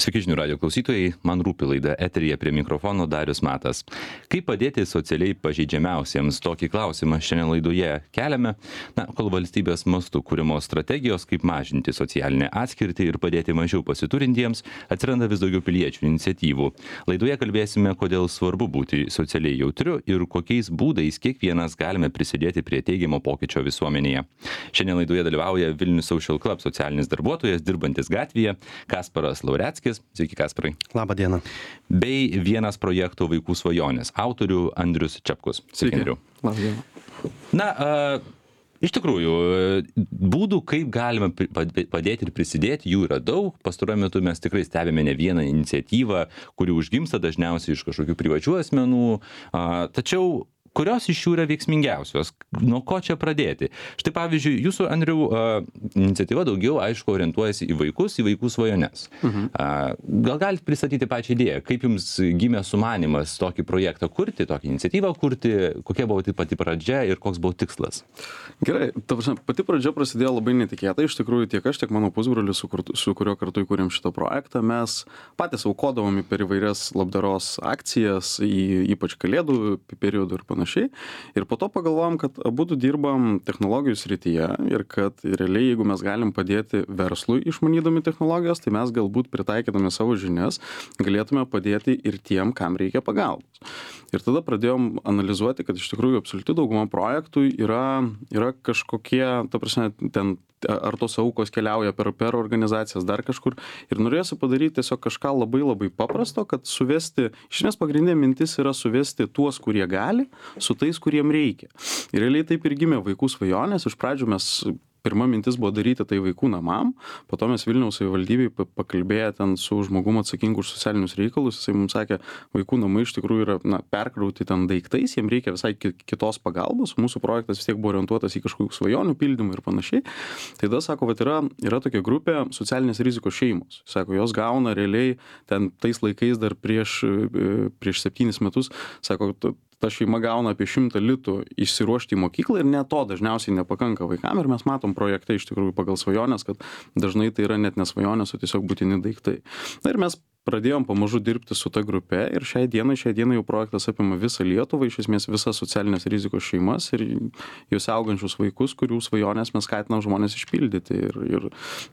Sveiki žinių radio klausytojai, man rūpi laida eteryje prie mikrofono Darius Matas. Kaip padėti socialiai pažeidžiamiausiems? Tokį klausimą šiandien laidoje keliame. Kol valstybės mastu kūrimos strategijos, kaip mažinti socialinę atskirtį ir padėti mažiau pasiturintiems, atsiranda vis daugiau piliečių iniciatyvų. Laidoje kalbėsime, kodėl svarbu būti socialiai jautriu ir kokiais būdais kiekvienas galime prisidėti prie teigiamo pokyčio visuomenėje. Šiandien laidoje dalyvauja Vilnius Social Club socialinis darbuotojas, dirbantis gatvėje, Kasparas Laureckis. Sveiki, Kasparai. Labą dieną. Bei vienas projekto Vaikų svajonės autorių Andrius Čepkus. Sveiki, Andriu. Labą dieną. Iš tikrųjų, būdų, kaip galima padėti ir prisidėti, jų yra daug. Pastaruoju metu mes tikrai stebime ne vieną iniciatyvą, kuri užgimsta dažniausiai iš kažkokių privačių asmenų. Tačiau kurios iš jų yra veiksmingiausios? Nuo ko čia pradėti? Štai pavyzdžiui, jūsų, Andriau, iniciatyva daugiau, aišku, orientuojasi į vaikų svajones. Gal galite pristatyti pačią idėją? Kaip jums gimė sumanymas tokį projektą kurti, tokią iniciatyvą kurti? Kokia buvo pati pradžia ir koks buvo tikslas? Gerai, pati pradžia prasidėjo labai netikėtai. Iš tikrųjų, tiek aš, tiek mano pusbrolis, su kuriuo kartu įkūrėm šitą projektą, mes patys aukodavom per įvairias labdaros akcijas, ypač kalėdų periodų ir panašiai. Ir po to pagalvojom, kad abudu dirbam technologijų srityje ir kad realiai, jeigu mes galim padėti verslui išmanydami technologijas, tai mes galbūt pritaikydami savo žinias galėtume padėti ir tiem, kam reikia pagalbos. Ir tada pradėjom analizuoti, kad iš tikrųjų absoliuti dauguma projektų yra kažkokie, ta prasme, ten ar tos aukos keliauja per organizacijas dar kažkur. Ir norėjosi padaryti tiesiog kažką labai labai paprasto, kad suvesti, iš esmės pagrindinė mintis yra suvesti tuos, kurie gali, su tais, kuriem reikia. Ir realiai taip ir gimė Vaikų svajonės. Iš pradžių pirma mintis buvo daryti tai vaikų namam, po to mes Vilniaus savivaldybėj pakalbėję ten su žmogum atsakingu už socialinius reikalus, jisai mums sakė, vaikų namai iš tikrųjų yra perkrauti ten daiktais, jiems reikia visai kitos pagalbos, mūsų projektas vis tiek buvo orientuotas į kažkokių svajonių pildymą ir panašiai. Tai tada sako, kad yra tokia grupė socialinės rizikos šeimos. Sako, jos gauna realiai ten tais laikais dar prieš 7 metus, sako, ta šeima gauna apie 100 litų išsiruošti į mokyklą ir net to dažniausiai nepakanka vaikam ir mes matom projekte iš tikrųjų pagal svajonės, kad dažnai tai yra net ne svajonės, o tiesiog būtini daiktai. Ir mes pradėjom pamažu dirbti su ta grupe ir šiai dienai jau projektas apima visą Lietuvą, iš esmės visas socialinės rizikos šeimas ir juose augančius vaikus, kurių svajonės mes skatinam žmonės išpildyti. Ir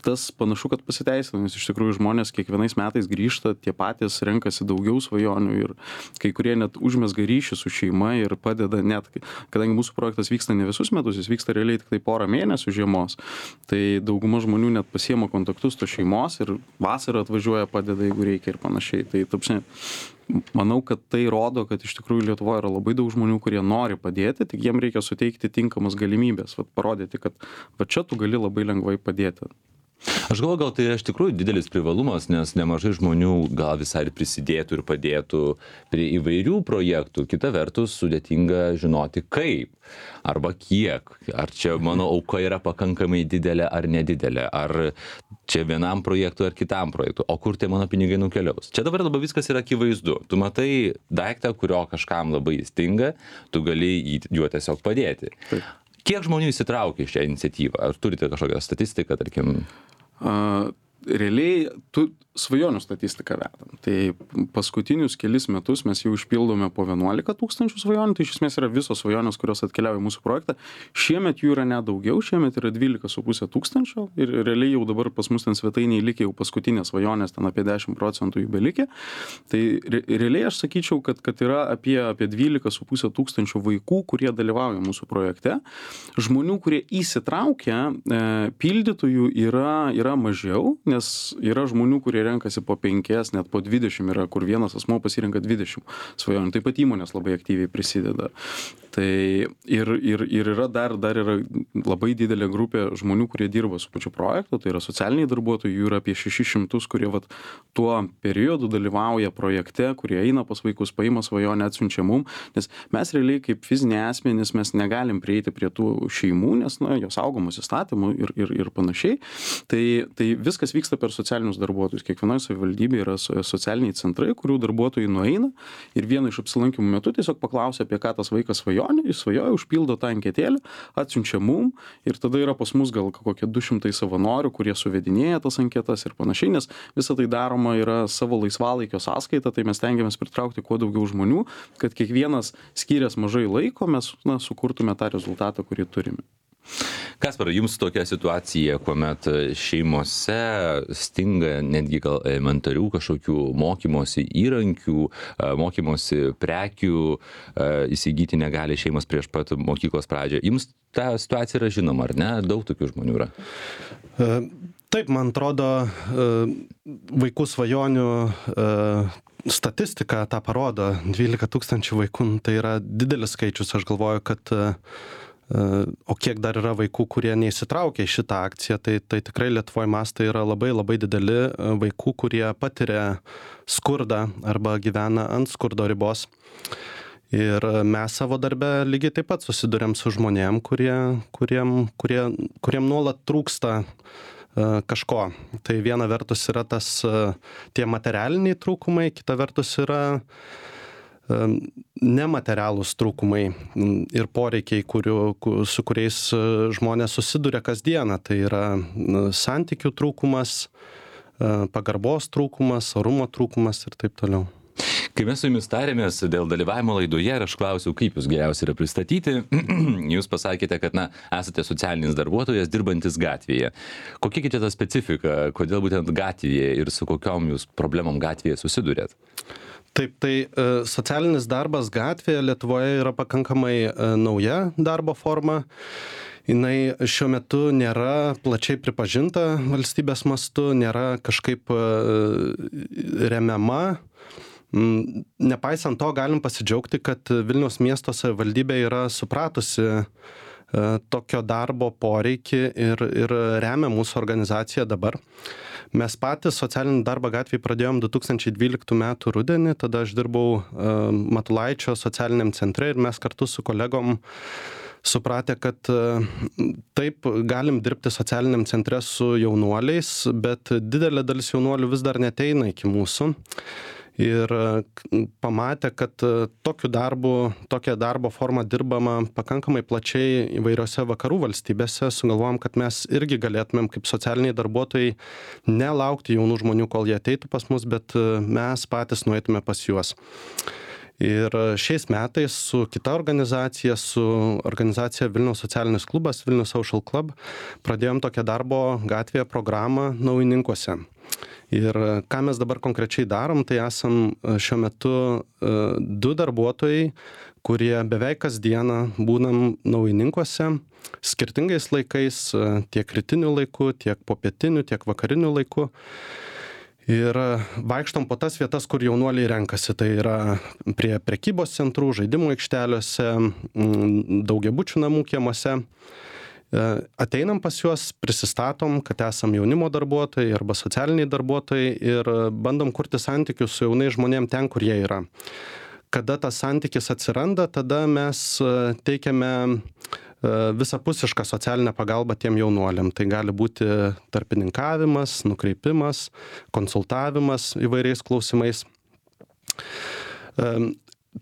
tas panašu, kad pasiteisina, nes iš tikrųjų žmonės kiekvienais metais grįžta, tie patys renkasi daugiau svajonių ir kai kurie net užmezga ryšį su šeima ir padeda net, kadangi mūsų projektas vyksta ne visus metus, jis vyksta realiai tik tai porą mėnesių žiemos, tai dauguma žmonių net pasiema kontaktus to šeimos ir vasarą atvažiuoja, padeda, jeigu reikia ir panašiai. Tai manau, kad tai rodo, kad iš tikrųjų Lietuvoje yra labai daug žmonių, kurie nori padėti, tik jiem reikia suteikti tinkamas galimybės, parodyti, kad čia tu gali labai lengvai padėti. Aš galvoju, gal tai yra iš tikrųjų didelis privalumas, nes nemažai žmonių gal visai ir prisidėtų ir padėtų prie įvairių projektų. Kita vertus, sudėtinga žinoti kaip arba kiek. Ar čia mano auka yra pakankamai didelė ar nedidelė. Ar čia vienam projektui ar kitam projektui. O kur tie mano pinigai nukeliaus. Čia dabar labai viskas yra akivaizdu. Tu matai daiktą, kurio kažkam labai stinga, tu gali juo tiesiog padėti. Taip. Kiek žmonių įsitraukia į šią iniciatyvą? Ar turite kažkokią statistiką, tarkim? Realiai svajonių statistiką vedam. Tai paskutinius kelis metus mes jau išpildome po 11 000 svajonių, tai iš esmės yra visos svajonės, kurios atkeliauja į mūsų projektą. Šiemet jų yra net daugiau, šiemet yra 12 500 ir realiai jau dabar pas mus ten svetainiai likė jau paskutinės svajonės, ten apie 10% jų belikė. Tai realiai aš sakyčiau, kad yra apie 12 500 vaikų, kurie dalyvauja mūsų projekte. Žmonių, kurie įsitraukia, pildytojų yra mažiau, nes yra žmonių, kurie renkasi po 5, net po 20 yra, kur vienas asmuo pasirenka 20 svajonių. Taip pat įmonės labai aktyviai prisideda. Tai ir yra dar yra labai didelė grupė žmonių, kurie dirba su pačiu projektu, tai yra socialiniai darbuotojai, jų yra apie 600, kurie tuo periodu dalyvauja projekte, kurie eina pas vaikus, paima svajonę, atsiunčia mum, nes mes realiai kaip fiziniai asmenys mes negalim prieiti prie tų šeimų, nes jos saugomos įstatymų ir panašiai. Tai viskas vyksta per socialinius darbuotojus. Kiekvienoje savivaldybėje yra socialiniai centrai, kurių darbuotojai nueina ir vieno iš apsilankymų metu tiesiog paklausia, apie ką tas vaikas svajoja, jis svajoja, užpildo tą anketėlę, atsiunčia mum ir tada yra pas mus gal kokie 200 savanorių, kurie suvedinėja tas anketas ir panašiai, nes visą tai darom daroma yra savo laisvalaikio sąskaita, tai mes stengiamės pritraukti kuo daugiau žmonių, kad kiekvienas skyręs mažai laiko mes sukurtume tą rezultatą, kurį turime. Kasparai, jums tokia situacija, kuomet šeimose stinga netgi gal elementarių kažkokių mokymosi įrankių, mokymosi prekių, įsigyti negali šeimos prieš pat mokyklos pradžią. Jums ta situacija yra žinoma, ar ne? Daug tokių žmonių yra. Taip, man atrodo, vaikų svajonių statistika tą parodo. 12 000 vaikų, tai yra didelis skaičius. Aš galvoju, kad o kiek dar yra vaikų, kurie neįsitraukia į šitą akciją, tai tikrai Lietuvoje mastai yra labai labai dideli vaikų, kurie patiria skurdą arba gyvena ant skurdo ribos. Ir mes savo darbe lygiai taip pat susiduriam su žmonėm, kuriem nuolat trūksta kažko. Tai viena vertus yra tie materialiniai trūkumai, kita vertus yra nematerialūs trūkumai ir poreikiai, su kuriais žmonės susiduria kasdieną. Tai yra santykių trūkumas, pagarbos trūkumas, orumo trūkumas ir taip toliau. Kai mes su jumis tarėmės dėl dalyvavimo laidoje ir aš klausiau, kaip jūs geriausiai yra pristatyti, jūs pasakėte, kad esate socialinis darbuotojas dirbantis gatvėje. Kokia kita ta specifika, kodėl būtent gatvėje ir su kokiom jūs problemom gatvėje susidurėt? Taip, tai socialinis darbas gatvėje Lietuvoje yra pakankamai nauja darbo forma. Jinai šiuo metu nėra plačiai pripažinta valstybės mastu, nėra kažkaip remiama. Nepaisant to, galim pasidžiaugti, kad Vilniaus miesto savivaldybė yra supratusi tokio darbo poreikį ir remia mūsų organizaciją dabar. Mes patys socialinį darbą gatvėje pradėjom 2012 metų rudenį, tada aš dirbau Matulaičio socialiniam centre ir mes kartu su kolegom supratę, kad taip galim dirbti socialiniam centre su jaunuoliais, bet didelė dalis jaunuolių vis dar neateina iki mūsų. Ir pamatė, kad tokia darbo forma dirbama pakankamai plačiai įvairiose vakarų valstybėse, sugalvojom, kad mes irgi galėtumėm kaip socialiniai darbuotojai nelaukti jaunų žmonių, kol jie ateitų pas mus, bet mes patys nueitume pas juos. Ir šiais metais su kita organizacija, su organizacija Vilniaus socialinis klubas, Vilnius Social Club, pradėjom tokią darbo gatvėje programą Naujininkuose. Ir ką mes dabar konkrečiai darom, tai esam šiuo metu 2 darbuotojai, kurie beveik kasdieną būnam Naujininkuose, skirtingais laikais, tiek rytiniu laiku, tiek popietiniu, tiek vakariniu laiku. Ir vaikštom po tas vietas, kur jaunuoliai renkasi. Tai yra prie prekybos centrų, žaidimų aikšteliuose, daugiabučių namų kiemuose. Ateinam pas juos, prisistatom, kad esam jaunimo darbuotojai arba socialiniai darbuotojai ir bandom kurti santykius su jaunais žmonėm ten, kur jie yra. Kada tas santykis atsiranda, tada mes teikiame visapusišką socialinę pagalbą tiem jaunuoliam. Tai gali būti tarpininkavimas, nukreipimas, konsultavimas įvairiais klausimais.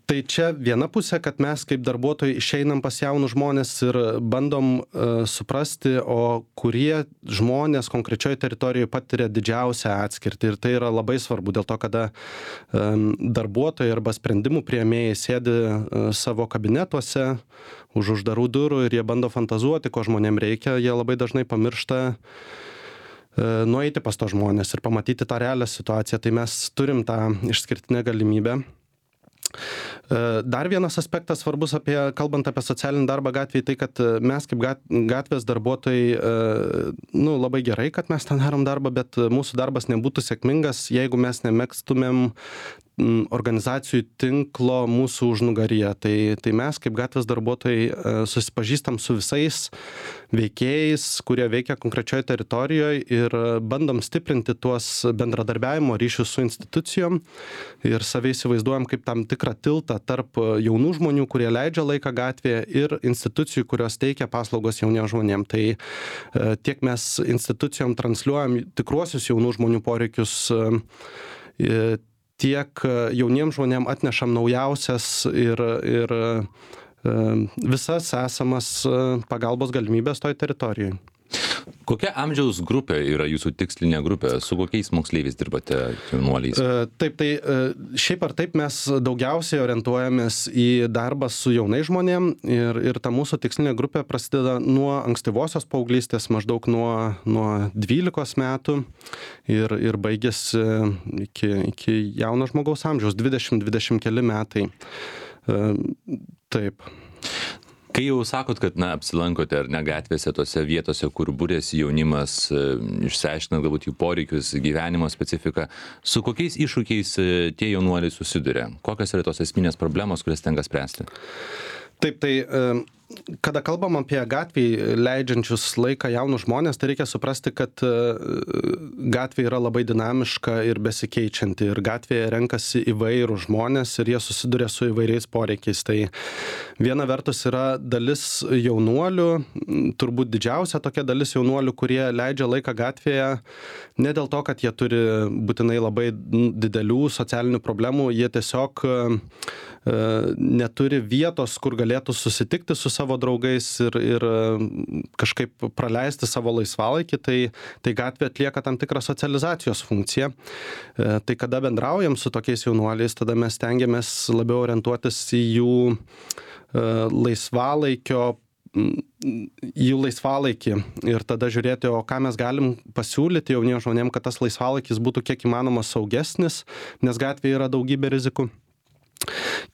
Tai čia viena pusė, kad mes kaip darbuotojai išeinam pas jaunus žmonės ir bandom suprasti, o kurie žmonės konkrečioje teritorijoje patiria didžiausią atskirtį. Ir tai yra labai svarbu, dėl to, kada darbuotojai arba sprendimų priėmėjai sėdi savo kabinetuose už uždarų durų ir jie bando fantazuoti, ko žmonėm reikia, jie labai dažnai pamiršta nueiti pas to žmonės ir pamatyti tą realią situaciją. Tai mes turim tą išskirtinę galimybę. Dar vienas aspektas svarbus kalbant apie socialinį darbą gatvėje, tai kad mes kaip gatvės darbuotojai, labai gerai, kad mes ten darom darbą, bet mūsų darbas nebūtų sėkmingas, jeigu mes nemėgstumėm organizacijų tinklo mūsų užnugaryje. Tai mes kaip gatvės darbuotojai susipažįstam su visais veikėjais, kurie veikia konkrečioje teritorijoje ir bandom stiprinti tuos bendradarbiavimo ryšius su institucijom ir save įsivaizduojam kaip tam tikrą tiltą tarp jaunų žmonių, kurie leidžia laiką gatvėje ir institucijų, kurios teikia paslaugos jauniems žmonėms. Tai tiek mes institucijom transliuojam tikruosius jaunų žmonių poreikius, tiek jauniems žmonėms atnešam naujausias ir visas esamas pagalbos galimybės toj teritorijai. Kokia amžiaus grupė yra jūsų tikslinė grupė? Su kokiais moksleiviais dirbate, jaunuoliais? Taip, tai šiaip ar taip mes daugiausiai orientuojamės į darbą su jaunais žmonėm ir ta mūsų tikslinė grupė prasideda nuo ankstyvosios paauglystės, maždaug nuo 12 metų ir baigėsi iki jauno žmogaus amžiaus, 20 keli metai. Taip. Kai jau sakot, kad apsilankote ar ne gatvėse, tose vietose, kur būrėsi jaunimas, išsiaiškinat galbūt jų poreikius, gyvenimo specifiką, su kokiais iššūkiais tie jaunuoliai susiduria? Kokios yra tos esminės problemos, kurias tenka spręsti? Taip, tai kada kalbam apie gatvėj leidžiančius laiką jaunus žmonės, tai reikia suprasti, kad gatvė yra labai dinamiška ir besikeičianti ir gatvėje renkasi įvairūs žmonės ir jie susiduria su įvairiais poreikiais. Tai viena vertus yra dalis jaunuolių, turbūt didžiausia tokia dalis jaunuolių, kurie leidžia laiką gatvėje ne dėl to, kad jie turi būtinai labai didelių socialinių problemų, jie tiesiog neturi vietos, kur galėtų susitikti su savo draugais ir kažkaip praleisti savo laisvalaikį, tai gatvė atlieka tam tikrą socializacijos funkciją. Tai kada bendraujam su tokiais jaunuoliais, tada mes stengiamės labiau orientuotis į jų laisvalaikį ir tada žiūrėti, o ką mes galim pasiūlyti jauniems žmonėms, kad tas laisvalaikis būtų kiek įmanoma saugesnis, nes gatvėje yra daugybė rizikų.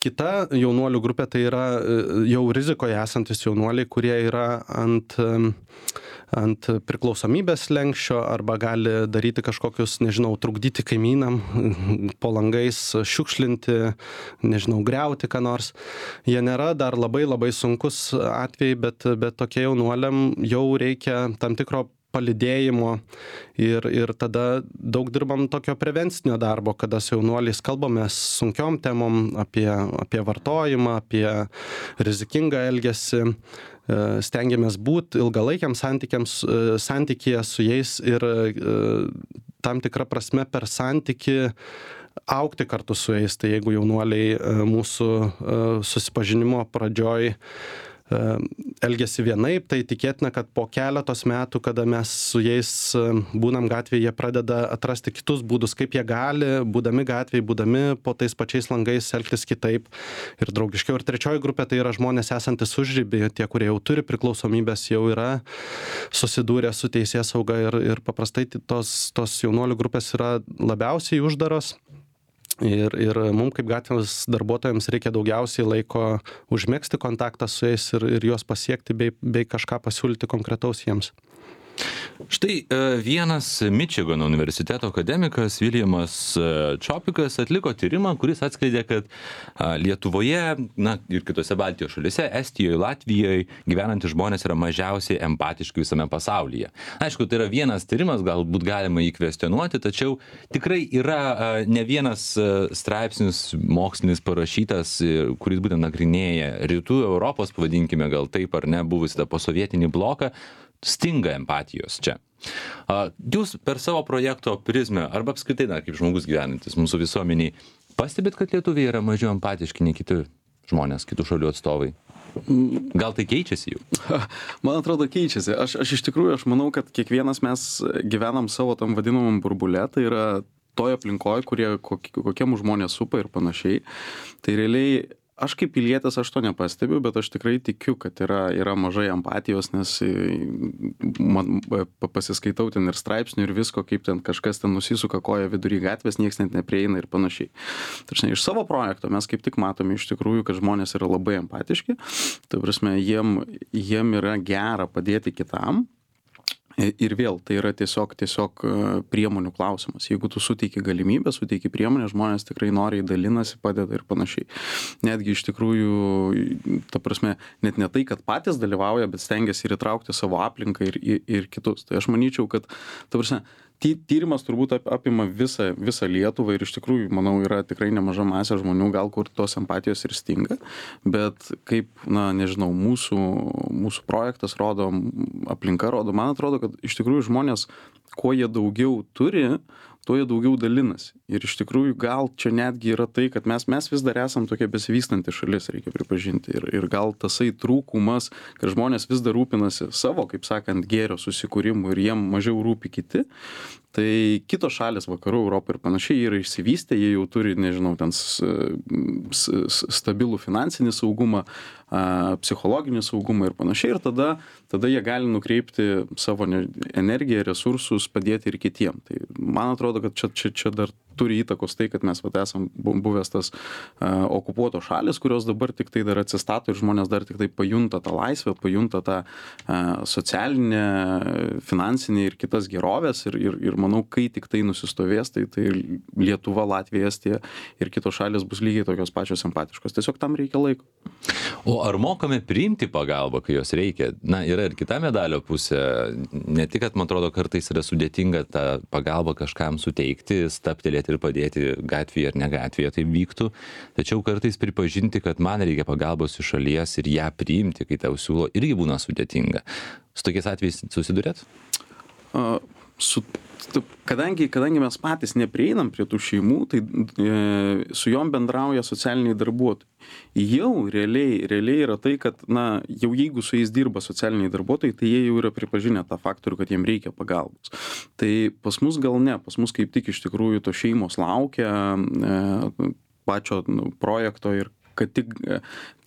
Kita jaunuolių grupė tai yra jau rizikoje esantis jaunuoliai, kurie yra ant priklausomybės slenksčio arba gali daryti kažkokius, trukdyti kaimynam, po langais šiukšlinti, griauti ką nors. Jie nėra dar labai sunkus atvejai, bet tokie jaunuoliam jau reikia tam tikro palydėjimo ir tada daug dirbam tokio prevencinio darbo, kada su jaunuoliais kalbamės sunkiom temom apie vartojimą, apie rizikingą elgesį, stengiamės būti ilgalaikiams santykyje su jais ir tam tikrą prasme per santykį augti kartu su jais. Tai jeigu jaunuoliai mūsų susipažinimo pradžioj elgiasi vienaip, tai tikėtina, kad po keletos metų, kada mes su jais būnam gatvėje, jie pradeda atrasti kitus būdus, kaip jie gali, būdami gatvėje, būdami po tais pačiais langais, elgtis kitaip ir draugiškiau. Ir trečioji grupė tai yra žmonės esantis užribį, tie, kurie jau turi priklausomybės, jau yra susidūrę su teisėsauga ir paprastai tos jaunuolių grupės yra labiausiai uždaros. Ir mums kaip gatvės darbuotojams reikia daugiausiai laiko užmegzti kontaktą su jais ir juos pasiekti bei kažką pasiūlyti konkretaus jiems. Štai vienas Mičigano universiteto akademikas Viljamas Čopikas atliko tyrimą, kuris atskleidė, kad Lietuvoje, ir kitose Baltijos šalyse, Estijoje, Latvijoje gyvenantys žmonės yra mažiausiai empatiški visame pasaulyje. Aišku, tai yra vienas tyrimas, galbūt galima jį kvestionuoti, tačiau tikrai yra ne vienas straipsnis mokslinis parašytas, kuris būtent nagrinėja rytų Europos, pavadinkime gal taip ar ne, buvusį tą posovietinį bloką, stinga empatijos čia. Jūs per savo projekto prizmę arba apskritai kaip žmogus gyvenantis mūsų visuomeniai pastebit, kad lietuviai yra mažiau empatiški nei kiti žmonės, kitų šalių atstovai? Gal tai keičiasi jau? Man atrodo, keičiasi. Aš iš tikrųjų, aš manau, kad kiekvienas mes gyvenam savo tam vadinamam burbule, tai yra toje aplinkoje, kokie mūsų žmonės supa ir panašiai. Tai realiai aš kaip pilietis aš to nepastebiu, bet aš tikrai tikiu, kad yra mažai empatijos, nes pasiskaitau ten ir straipsnių ir visko, kaip ten kažkas ten nusisuka koją vidury gatvės, nieks net neprieina ir panašiai. Tačiau iš savo projekto mes kaip tik matome iš tikrųjų, kad žmonės yra labai empatiški, tai prasme, jiem yra gera padėti kitam. Ir vėl, tai yra tiesiog priemonių klausimas. Jeigu tu suteiki galimybę, suteiki priemonę, žmonės tikrai noriai dalinasi, padeda ir panašiai. Netgi iš tikrųjų, ta prasme, net ne tai, kad patys dalyvauja, bet stengiasi ir įtraukti savo aplinką ir kitus. Tai aš manyčiau, kad, ta prasme, tyrimas turbūt apima visą Lietuvą ir iš tikrųjų, manau, yra tikrai nemaža masė žmonių, gal kur tos empatijos ir stinga, bet kaip, nežinau, mūsų projektas rodo, aplinka rodo, man atrodo, kad iš tikrųjų žmonės, kuo jie daugiau turi, tuo jie daugiau dalinasi. Ir iš tikrųjų gal čia netgi yra tai, kad mes vis dar esam tokia besivystanti šalis, reikia pripažinti. Ir gal tasai trūkumas, kad žmonės vis dar rūpinasi savo, kaip sakant, gėrio susikūrimu ir jiem mažiau rūpi kiti. Tai kitos šalys vakarų Europą ir panašiai yra išsivystę, jie jau turi, nežinau, ten stabilų finansinį saugumą, psichologinį saugumą ir panašiai. Ir tada jie gali nukreipti savo energiją, resursus, padėti ir kitiem. Tai man atrodo, kad čia dar turi įtakos tai, kad mes esam buvęs tas okupuotos šalis, kurios dabar tik tai dar atsistato ir žmonės dar tik tai pajunta tą laisvę, pajunta tą socialinę, finansinę ir kitas gerovės. Ir manau, kai tik tai nusistovės, tai Lietuva, Latvija, Estija ir kitos šalis bus lygiai tokios pačios empatiškos. Tiesiog tam reikia laiko. O ar mokame priimti pagalbą, kai jos reikia? Na, yra ir kita medalio pusė. Ne tik, kad, man atrodo, kartais yra sudėtinga tą pagalbą kažkam suteikti, staptelėti ir padėti gatvėje ar ne gatvėje, tai vyktų. Tačiau kartais pripažinti, kad man reikia pagalbos iš šalies ir ją priimti, kai tau siūlo, irgi būna sudėtinga. Su tokiais atvejais susidurėt? Kadangi mes patys neprieinam prie tų šeimų, tai su jom bendrauja socialiniai darbuotojai. Jau realiai yra tai, kad, jau jeigu su jais dirba socialiniai darbuotojai, tai jie jau yra pripažinę tą faktorių, kad jiem reikia pagalbos. Tai pas mus gal ne, pas mus kaip tik iš tikrųjų to šeimos laukia pačio projekto ir kad tik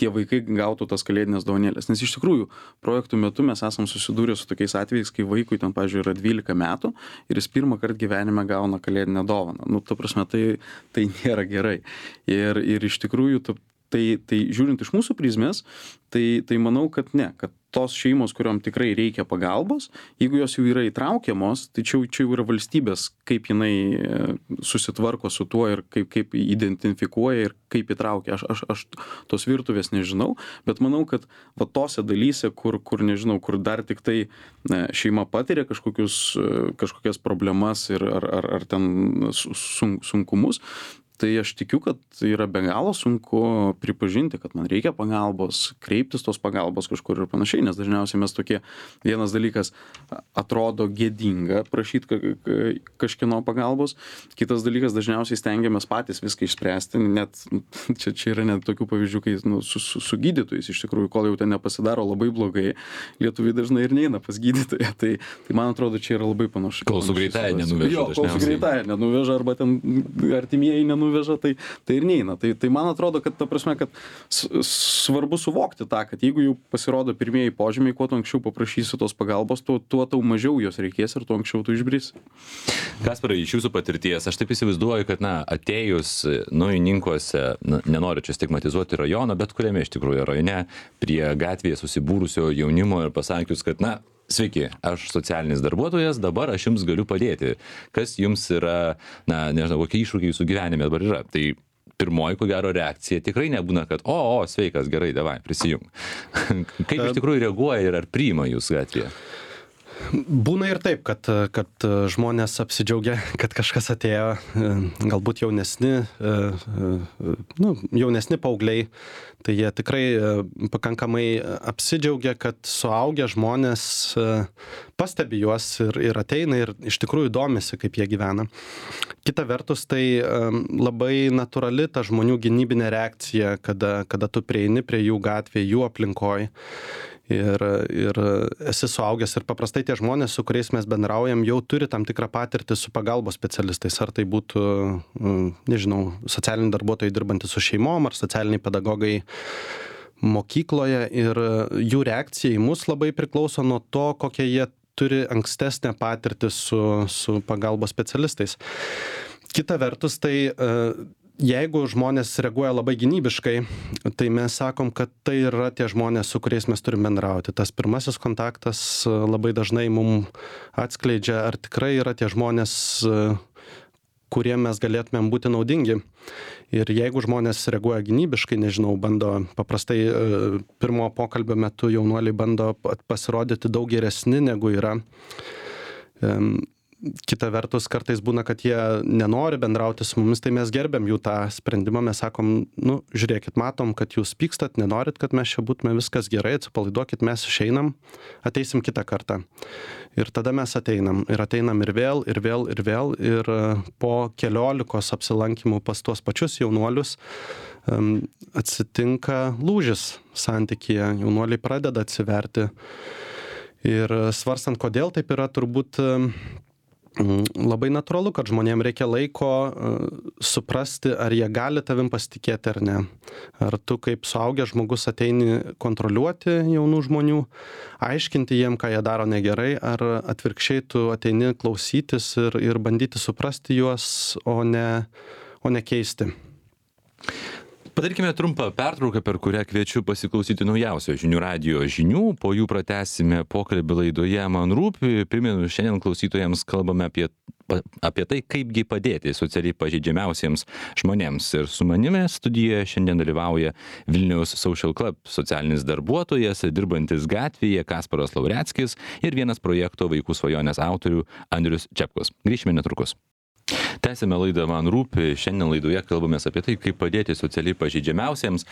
tie vaikai gautų tas kalėdinės dovanėlės. Nes iš tikrųjų, projektų metu mes esam susidūrę su tokiais atvejais, kai vaikui ten, pavyzdžiui, yra 12 metų ir jis pirmą kartą gyvenime gauna kalėdinę dovaną. Ta prasme, tai nėra gerai. Ir iš tikrųjų, tai žiūrint iš mūsų prizmės, tai manau, kad ne, kad tos šeimos, kuriuom tikrai reikia pagalbos, jeigu jos jau yra įtraukiamos, tai čia jau yra valstybės, kaip jinai susitvarko su tuo ir kaip identifikuoja ir kaip įtraukia. Aš tos virtuvės nežinau, bet manau, kad va tose dalyse, kur nežinau, kur dar tik tai šeima patiria kažkokias problemas ir ar ten sunkumus, tai aš tikiu, kad yra be galo sunku pripažinti, kad man reikia pagalbos, kreiptis tos pagalbos kažkur ir panašiai, nes dažniausiai mes tokie, vienas dalykas atrodo gėdinga prašyti kažkieno pagalbos, kitas dalykas dažniausiai stengiamės patys viską išspręsti, net čia yra net tokių pavyzdžių, kai su gydytojais iš tikrųjų, kol jau ten nepasidaro labai blogai, lietuviai dažnai ir neina pas gydytoją, tai man atrodo, čia yra labai panašu. Kol su greitąja nenuveža. Kol su greitąja nenuveža arba ten artimieji nenuveža, tai ir neina. Tai man atrodo, kad ta prasme, kad svarbu suvokti tą, kad jeigu jau pasirodo pirmieji požymiai, kuo tu anksčiau paprašysi tos pagalbos, tuo tau mažiau jos reikės ir tuo anksčiau tu išbrisi. Kasparai, iš jūsų patirties, aš taip įsivaizduoju, kad atėjus Naujininkuose, nenoriu čia stigmatizuoti rajono, bet kuriame iš tikrųjų rajone, prie gatvėje susibūrusio jaunimo ir pasakius, kad sveiki, aš socialinis darbuotojas, dabar aš jums galiu padėti. Kas jums yra, nežinau, kokie iššūkiai jūsų gyvenime dabar yra. Tai pirmoji, ko gero, reakcija tikrai nebūna, kad sveikas, gerai, davai, prisijung. Kaip iš tikrųjų reaguoja ir ar priima jūs gatvėje? Būna ir taip, kad žmonės apsidžiaugia, kad kažkas atėjo, galbūt jaunesni paaugliai, tai jie tikrai pakankamai apsidžiaugia, kad suaugę žmonės pastebi juos ir ateina ir iš tikrųjų domisi, kaip jie gyvena. Kita vertus, tai labai natūrali ta žmonių gynybinė reakcija, kada tu prieini prie jų gatvėje, jų aplinkoje. Ir esi suaugęs ir paprastai tie žmonės, su kuriais mes bendraujam, jau turi tam tikrą patirtį su pagalbos specialistais. Ar tai būtų, nežinau, socialiniai darbuotojai dirbantys su šeimom, ar socialiniai pedagogai mokykloje. Ir jų reakcija į mus labai priklauso nuo to, kokie jie turi ankstesnę patirtį su pagalbos specialistais. Kita vertus, tai jeigu žmonės reaguoja labai gynybiškai, tai mes sakom, kad tai yra tie žmonės, su kuriais mes turim bendrauti. Tas pirmasis kontaktas labai dažnai mums atskleidžia, ar tikrai yra tie žmonės, kuriem mes galėtumėm būti naudingi. Ir jeigu žmonės reaguoja gynybiškai, nežinau, bando paprastai pirmo pokalbio metu jaunuoliai bando pasirodyti daug geresni negu yra. kita vertus kartais būna, kad jie nenori bendrauti su mumis, tai mes gerbiam jų tą sprendimą, mes sakom, nu, žiūrėkit, matom, kad jūs pykstat, nenorit, kad mes čia būtume, viskas gerai, atsipalaiduokit, mes išeinam, ateisim kitą kartą. Ir tada mes ateinam ir vėl, ir po 14 apsilankimų pas tuos pačius jaunuolius atsitinka lūžis santykyje, jaunuoliai pradeda atsiverti. Ir svarstant, kodėl taip yra, turbūt labai natūralu, kad žmonėms reikia laiko suprasti, ar jie gali tavim pasitikėti ar ne. Ar tu kaip suaugęs žmogus ateini kontroliuoti jaunų žmonių, aiškinti jiem, ką jie daro negerai, ar atvirkščiai tu ateini klausytis ir bandyti suprasti juos, o ne keisti. Padarykime trumpą pertrauką, per kurią kviečiu pasiklausyti naujausio žinių radijo žinių, po jų pratęsime pokalbį laidoje Man rūpi. Primenu, šiandien klausytojams kalbame apie tai, kaipgi padėti socialiai pažeidžiamiausiems žmonėms. Ir su manimi studijoje šiandien dalyvauja Vilniaus Social Club socialinis darbuotojas, dirbantis gatvėje Kasparas Laureckis ir vienas projekto Vaikų svajonės autorių Andrius Čepkus. Grįšime netrukus. Tęsime laidą Man rūpi. Šiandien laidoje kalbamės apie tai, kaip padėti socialiai pažeidžiamiausiems.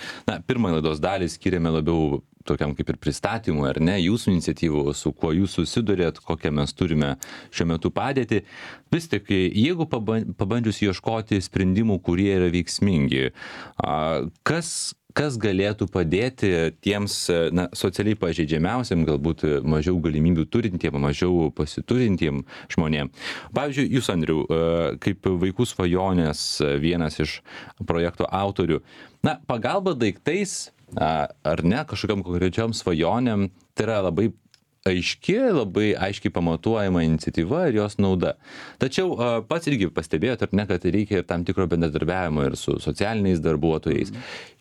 Pirmą laidos dalį skiriame labiau tokiam kaip ir pristatymui, ar ne, jūsų iniciatyvų, su kuo jūs susidurėt, kokią mes turime šiuo metu padėti. Vis tik, jeigu pabandžius ieškoti sprendimų, kurie yra veiksmingi, kas galėtų padėti tiems socialiai pažeidžiamiausiam, galbūt mažiau galimybių turintiem, mažiau pasiturintiem žmonėm. Pavyzdžiui, jūs, Andriau, kaip Vaikų svajonės vienas iš projekto autorių, pagalba daiktais ar ne kažkokiam konkrečiom svajonėm, tai yra labai labai aiškiai pamatuojama iniciatyva ir jos nauda. Tačiau pats irgi pastebėjot, ar ne, kad reikia ir tam tikro bendradarbiavimo ir su socialiniais darbuotojais.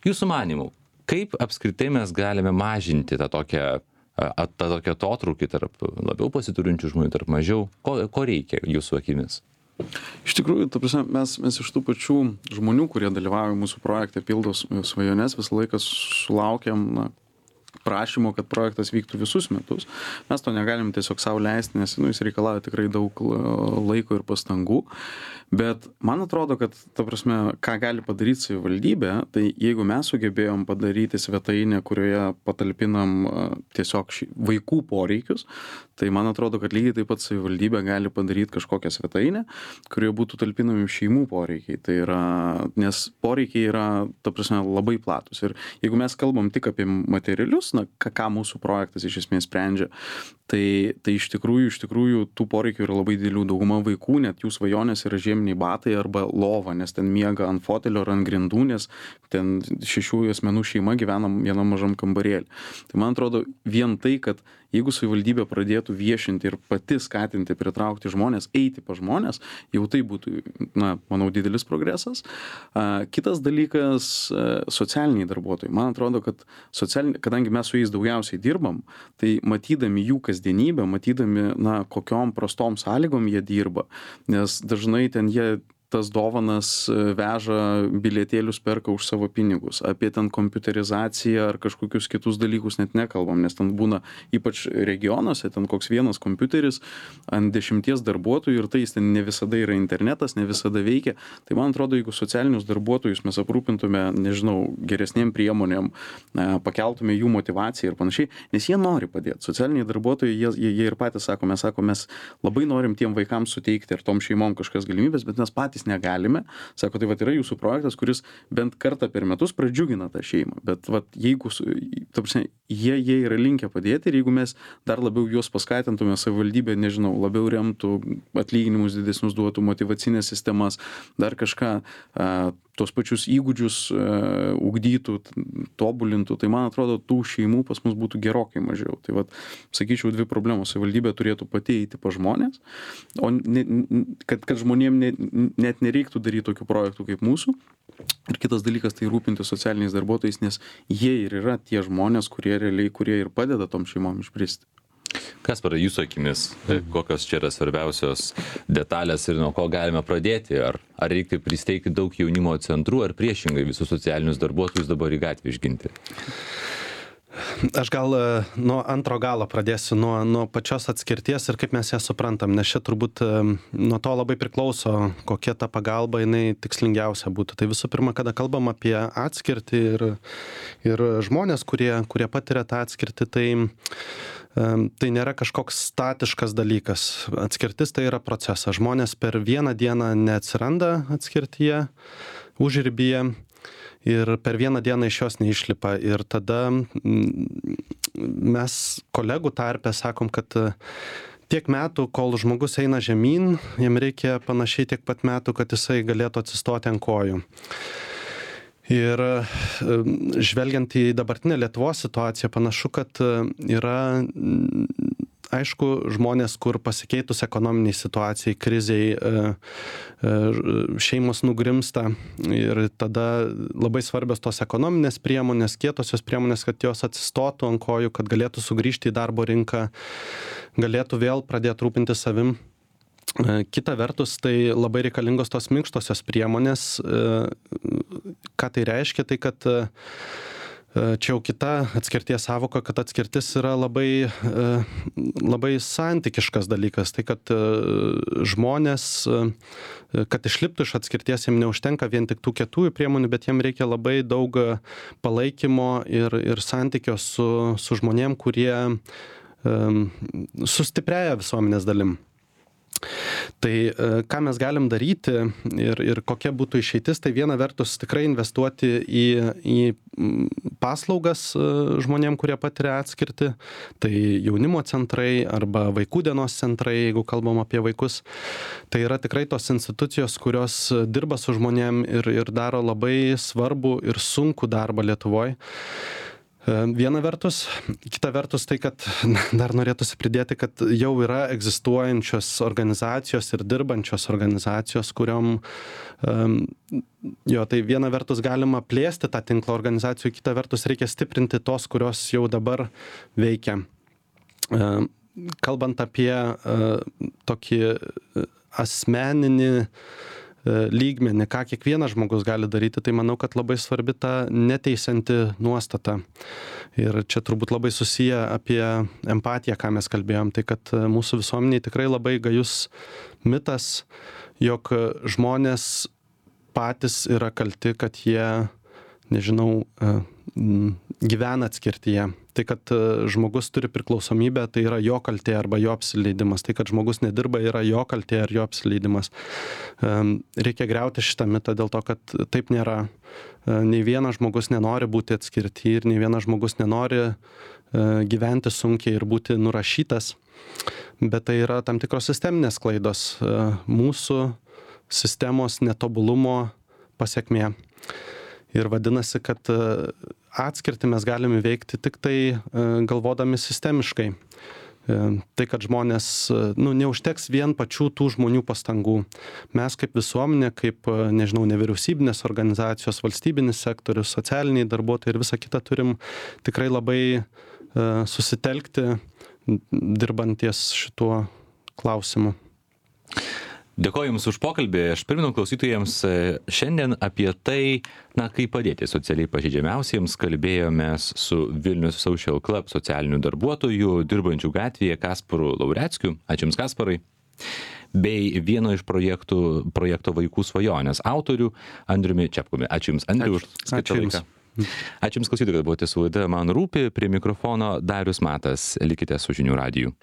Jūsų manymu, kaip apskritai mes galime mažinti tą tokią atotrūkį tarp labiau pasiturinčių žmonių, tarp mažiau? Ko reikia jūsų akimis? Iš tikrųjų, ta prasme, mes iš tų pačių žmonių, kurie dalyvauja mūsų projekte Pildo svajones, visą laiką sulaukiam prašymo, kad projektas vyktų visus metus. Mes to negalim tiesiog savo leisti, nes jis reikalauja tikrai daug laiko ir pastangų. Bet man atrodo, kad, ta prasme, ką gali padaryti savivaldybė, tai jeigu mes sugebėjom padaryti svetainę, kurioje patalpinam tiesiog vaikų poreikius, tai man atrodo, kad lygiai taip pat savivaldybė gali padaryti kažkokią svetainę, kurioje būtų talpinami šeimų poreikiai. Tai yra, nes poreikiai yra, ta prasme, labai platus. Ir jeigu mes kalbam tik apie materialius, ką mūsų projektas iš esmės sprendžia, tai iš tikrųjų tų poreikių yra labai didelių. Dauguma vaikų, net jų svajonės yra žieminiai batai arba lova, nes ten miega ant fotelio ar ant grindų, nes ten 6 asmenų šeima gyvena vienam mažam kambarėlį. Tai man atrodo, vien tai, kad jeigu savivaldybė pradėtų viešinti ir pati skatinti, pritraukti žmonės, eiti pas žmonės, jau tai būtų, manau, didelis progresas. Kitas dalykas - socialiniai darbuotojai. Man atrodo, kad kadangi mes su jais daugiausiai dirbam, tai matydami jų kasdienybę, matydami, kokiom prostom sąlygom jie dirba, nes dažnai ten jie tas dovanas veža, bilietėlius perka už savo pinigus. Apie ten kompiuterizaciją ar kažkokius kitus dalykus net nekalbam, nes ten būna, ypač regionuose, ten koks vienas kompiuteris ant 10 darbuotojų ir tai jis ten ne visada yra internetas, ne visada veikia. Tai man atrodo, jeigu socialinius darbuotojus mes aprūpintume, nežinau, geresnėm priemonėm, pakeltume jų motivaciją ir panašiai, nes jie nori padėti. Socialiniai darbuotojai, jie ir patys sako, mes labai norim tiem vaikams suteikti ir tom šeimom kažkas galimybės, bet mes patys negalime. Sako, tai yra jūsų projektas, kuris bent kartą per metus pradžiugina tą šeimą. Bet jeigu, ta prasme, jie yra linkę padėti ir jeigu mes dar labiau juos paskatintume, savivaldybė, nežinau, labiau remtų, atlyginimus didesnius duotų, motyvacinės sistemas, dar kažką, tos pačius įgūdžius ugdytų, tobulintų, tai man atrodo, tų šeimų pas mus būtų gerokai mažiau. Tai sakyčiau, 2 problemos. Savivaldybė turėtų pati eiti pas žmonės, o kad žmonėm net nereiktų daryti tokių projektų kaip mūsų. Ir kitas dalykas, tai rūpinti socialiniais darbuotojais, nes jie ir yra tie žmonės, kurie ir padeda tom šeimom išbristi. Kasparai, jūsų akimis, kokios čia yra svarbiausios detalės ir nuo ko galime pradėti? Ar reikia pristeigti daug jaunimo centrų, ar priešingai visus socialinius darbuotojus dabar į gatvę išginti? Aš gal nuo antro galo pradėsiu, nuo pačios atskirties ir kaip mes ją suprantam, nes čia turbūt nuo to labai priklauso, kokia ta pagalba jinai tikslingiausia būtų. Tai visų pirma, kada kalbam apie atskirtį ir žmonės, kurie patiria tą atskirtį, tai nėra kažkoks statiškas dalykas. Atskirtis tai yra procesas. Žmonės per vieną dieną neatsiranda atskirtyje, užribyje. Ir per vieną dieną iš jos neišlipa. Ir tada mes kolegų tarpe sakom, kad tiek metų, kol žmogus eina žemyn, jam reikia panašiai tiek pat metų, kad jisai galėtų atsistoti ant kojų. Ir žvelgiant į dabartinę Lietuvos situaciją, panašu, kad yra, aišku, žmonės, kur pasikeitus ekonominiai situacijai, kriziai, šeimos nugrimsta ir tada labai svarbios tos ekonominės priemonės, kietosios priemonės, kad jos atsistotų ant kojų, kad galėtų sugrįžti į darbo rinką, galėtų vėl pradėti rūpintis savim. Kita vertus, tai labai reikalingos tos minkštosios priemonės. Ką tai reiškia? Tai kad čia jau kita atskirties sąvoka, kad atskirtis yra labai santykiškas dalykas. Tai kad žmonės, kad išliptų iš atskirties, jiems neužtenka vien tik tų kietųjų priemonių, bet jiems reikia labai daug palaikymo ir santykio su žmonėm, kurie sustiprėja visuomenės dalim. Tai ką mes galim daryti ir kokia būtų išeitis, tai viena vertus tikrai investuoti į paslaugas žmonėm, kurie patiria atskirtį, tai jaunimo centrai arba vaikų dienos centrai, jeigu kalbam apie vaikus, tai yra tikrai tos institucijos, kurios dirba su žmonėm ir daro labai svarbų ir sunkų darbą Lietuvoj. Viena vertus, kita vertus tai, kad dar norėtųsi pridėti, kad jau yra egzistuojančios organizacijos ir dirbančios organizacijos, kuriom, tai viena vertus galima plėsti tą tinklą organizacijų, kita vertus reikia stiprinti tos, kurios jau dabar veikia. Kalbant apie tokį asmeninį lygmenį, ką kiekvienas žmogus gali daryti, tai manau, kad labai svarbi ta neteisianti nuostata. Ir čia turbūt labai susiję apie empatiją, ką mes kalbėjom, tai kad mūsų visuomeniai tikrai labai gajus mitas, jog žmonės patys yra kalti, kad jie, nežinau, gyvena atskirtyje. Tai, kad žmogus turi priklausomybę, tai yra jo kaltė arba jo apsileidimas. Tai, kad žmogus nedirba, yra jo kaltė ar jo apsileidimas. Reikia griauti šitą mitą dėl to, kad taip nėra. Nei vienas žmogus nenori būti atskirti ir nei vienas žmogus nenori gyventi sunkiai ir būti nurašytas. Bet tai yra tam tikros sisteminės klaidos, mūsų sistemos netobulumo pasekmė. Ir vadinasi, kad atskirtį mes galime veikti tik tai galvodami sistemiškai. Tai, kad žmonės, neužteks vien pačių tų žmonių pastangų. Mes kaip visuomenė, kaip, nevyriausybinės organizacijos, valstybinis sektorius, socialiniai darbuotojai ir visa kita turim tikrai labai susitelkti dirbant ties šituo klausimu. Dėkoju Jums už pokalbį. Aš primenu klausytojams šiandien apie tai, kaip padėti socialiai pažeidžiamiausiems. Kalbėjomės su Vilnius Social Club socialinių darbuotojų, dirbančių gatvėje Kasparu Laureckiu. Ačiū Jums, Kasparai. Bei vieno iš projekto Vaikų svajonės autorių Andriumi Čepkumi. Ačiū Jums, Andriu, už skirtą laiką. Ačiū Jums, klausytojai, kad buvote su laida Man rūpi. Prie mikrofono Darius Matas. Likite su Žinių radiju.